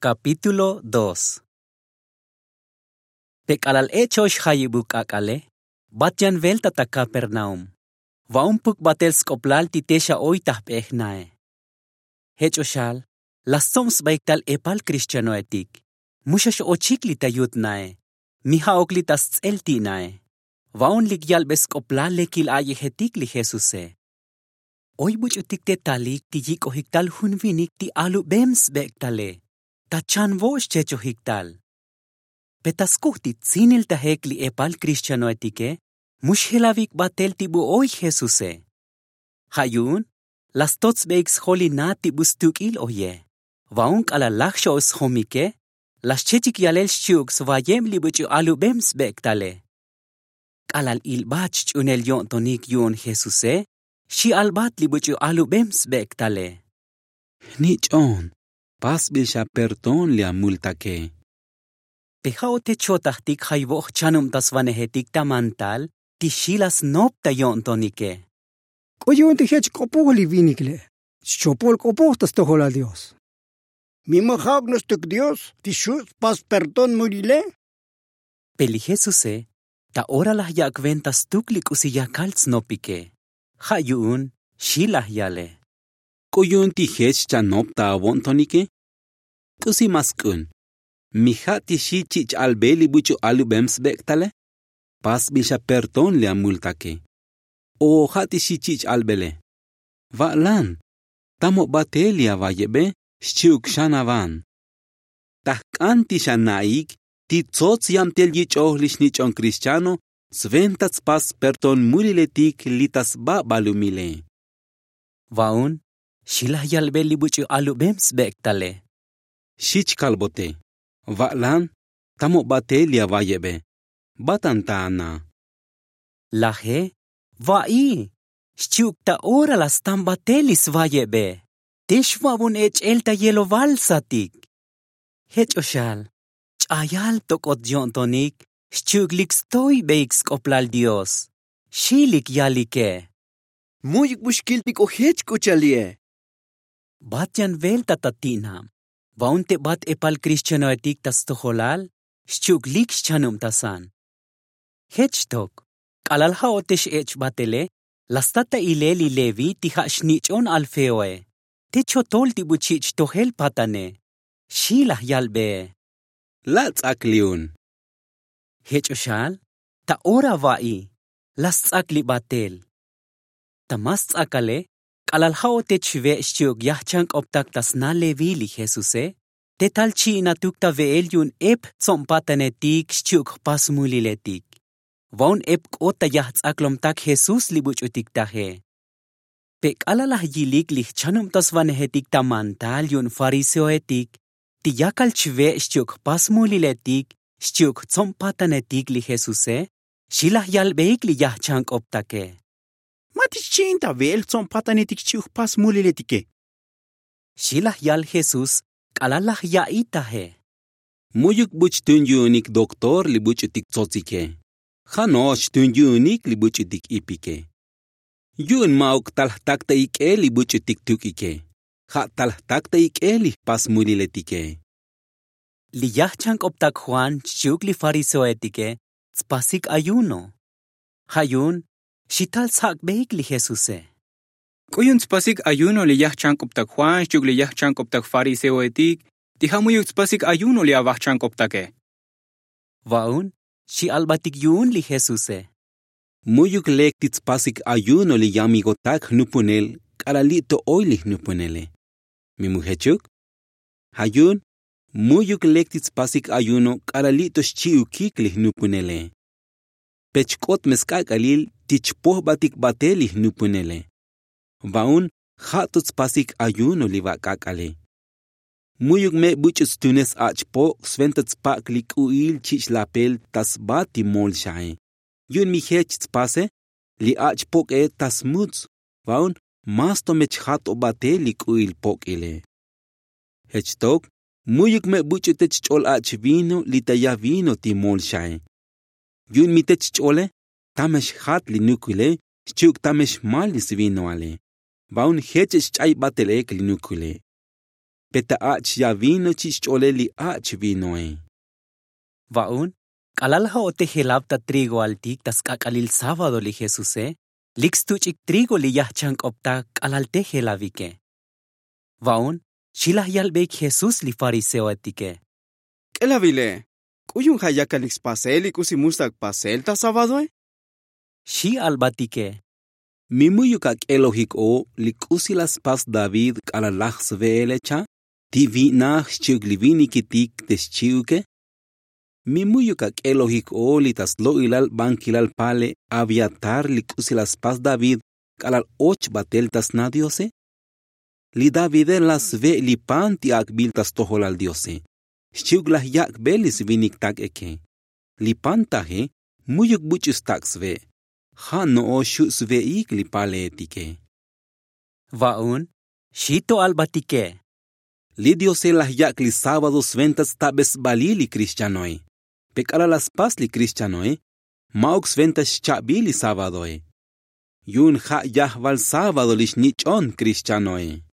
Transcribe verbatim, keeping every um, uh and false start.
Kapítulo dos. Te k'alal ech oy jayibuk k'ak'ale, bat yan velta ta kapernaum. Va'un puk batel sk'oplal ti te xa oy ta jp'ej nae. Jech o xal, la stsob sbaik tal epal krixtianoetik. Mu xa x'ochik li ta yut nae. Mi ja'uk li ta sts'el ti' nae. Va'un lik yalbe sk'oplal lekil a'yejetik li jesuse. Oy buch'utik te talik ti yik'ojik tal jun vinik ti alubem sbek' tale, ta chan vo' xchechojik tal. Pe ta skujti tsinil tajek li epal krixtianoetike, mu xjelavik batel ti bu oy jesuse. Ja' yu'un, la stotsbeik sjol li na ti bu stuk'il oye. Va'un k'alal laj xa oy sjomike, la xchechik yalel xchi'uk svayeb li buch'u alubem sbek' tale. K'alal ilbat xch'unel yo'ntonik yu'un jesuse, xi' albat li buch'u alubem sbek' tale: —Jnich'on, pasbil xa perdón li amultake. Pe ja' o te chotajtik jayvoj jchanubtasvanejetik ta mantal ti xi' la snop ta yo'ntonike. —K'u yu'un ti jech k'opoj li vinik le', xchopol k'opoj ta stojolal dios. —Mi ma ja'uk no'ox tuk dios ti xu' spas perdón mulile? Pe li jesuse, ta ora laj yak' venta stuk li k'usi yakal tsnopike. Ja' yu'un, xi' laj yale: —K'u yu'un ti jech chanop ta avo'ntonike? K'usi ma sk'un? Mi ja' ti xi' chich' albe li buch'u alubem sbek' tale? Pasbil xa perdón li amultake. O ja' ti xi' chich' albele: —Va'lan, tamo batel li avayebe, xchi'uk xan avan. Ta jk'an ti xanaik ti tsots yabtel yich'oj li xnich'on krixtiano, sventa tspas perdón muliletik li ta sba balumile. Va'un, xi' laj yalbe li buch'u alubem sbek' tale: —Xi' chkalbote, va'lan, tamo batel li avayebe, batan ta ana. Laje, va'i, xchi'uk ta ora la stan batel li svayebe. Te xva'bun ech'el ta yeloval satik. Jech o xal, ch'ayal tok'ot yo'ntonik, xchi'uk lik stoybeik sk'oplal dios. Xi' lik yalike: —Mu'yuk bu xkiltik o jech k'u cha'al li'e. Bat yan velta ta ti'nab. Va'un te bat epal krixtianoetik ta stojolal, xchi'uk lik xchanubtasan. Jech xtok, k'alal ja' o te x'ech' batele, la sta ta ilel li levi ti ja' xnich'on alfeoe, te chotol ti bu chich' tojel patane. Xi' laj yalbee: —La' ts'ak li'un. Jech o xal, ta ora va'i, la sts'ak li batel. Ta ma sts'akale, k'alal ja' o te chve' xchi'uk yajchank'optak ta sna levi li jesuse, te tal chi'inatuk ta ve'el yu'un ep tsob patanetik xchi'uk jpas muliletik. Va'un ep k'ot ta yajts'aklomtak jesús li buch'utik taje. Pe k'alal laj yilik li jchanubtasvanejetik ta mantal yu'un fariseoetik, ti yakal chve' xchi'uk jpas muliletik xchi'uk jtsob patanetik li jesuse, xi' laj yalbeik li yajchank'optake: —Ma ti xchi'in ta ve'el jtsob patanetik xchi'uk jpas muliletike? Xi' laj yal jesús k'alal laj ya'i taje: —Mu'yuk bu chtun yu'unik doktor li buch'utik tsotsike. Ja' no'ox chtun yu'unik li buch'utik ipike. Yu'un ma'uk tal jtak ta ik'el li buch'utik tuk'ike, ja' tal jtak ta ik'el li jpas muliletike. Li yajchank'optak juan xchi'uk li fariseoetike tspasik ayuno. Ja' yu'un, xi' tal sjak'beik li jesuse: —K'u yu'un tspasik ayuno li yajchank'optak juan xchi'uk li yajchank'optak fariseoetik, ti ja' mu'yuk tspasik ayuno li avajchank'optake? Va'un, xi' albatik yu'un li jesuse: —Mu'yuk lek ti tspasik ayuno li yamigotak jnupunel k'alal li' to oy li jnupunele. Mi mu jechuk? Ja' yu'un, mu'yuk lek ti tspasik ayuno k'alal li' to xchi'ukik li jnupunele. Pe chk'ot me sk'ak'alil ti chpojbatik batel li jnupunele. Va'un, ja' to tspasik ayuno li va k'ak'ale. Mu'yuk me buch'u tstune s-ach' pok' sventa tspak' li k'u'il chich' lapel ta sba ti mol xae. Yu'un mi jech tspase, li ach' pok'e ta smuts. Va'un, mas to me chjat o batel li k'u'il pok'ile. Jech tok, mu'yuk me buch'u te chch'ol ach' vino li ta ya vino ti mol xae. Yu'un mi te chch'ole, tame xjat li nukuile xchi'uk tame xmal li svinoale. Va'un jech chch'ay batel ek li nukuile. Pe ta ach' ya vino chi' xch'ole li ach' vinoe. Va'un, k'alal laj o'tej jelav ta trigoaltik ta sk'ak'alil sábado li jesuse, lik stuch'ik trigo li yajchank'optak k'alal te jelavike. Va'un, xi laj yalbeik jesús li fariseoetike. K'elavile, k'uyun ja' yakalik spasel li k'usi mu stak' pasel ta sábadoe? Xi albatike. Mi mu'yuk ak'elojik o li k'usi laj spas david k'alal laj sve'ele cha' ti vi'naj xchi'uk li vinikitik te xchi'uke? Mi mu'yuk ak'elojik o li ta slo'ilal bankilal pale abiatar li k'usi laj spas david k'alal och batel ta sna diose? Li davide laj sve' li pan ti ak'bil ta stojolal diose, xchi'uk laj yak'be li svinik tak' eke. Li pan taje mu'yuk buch'u stak' sve', ja' no'ox xu' sve'ik li paleetike. Va'un, xi to albatike. Li diose laj yak' li sábado sventa tstabesbalil li krischanoe. Pe k'alal laj spas li krischanoe, ma'uk sventa xcha'bil li sábadoe. Yu'un ja' yajval sábado li xnich'on krischanoe.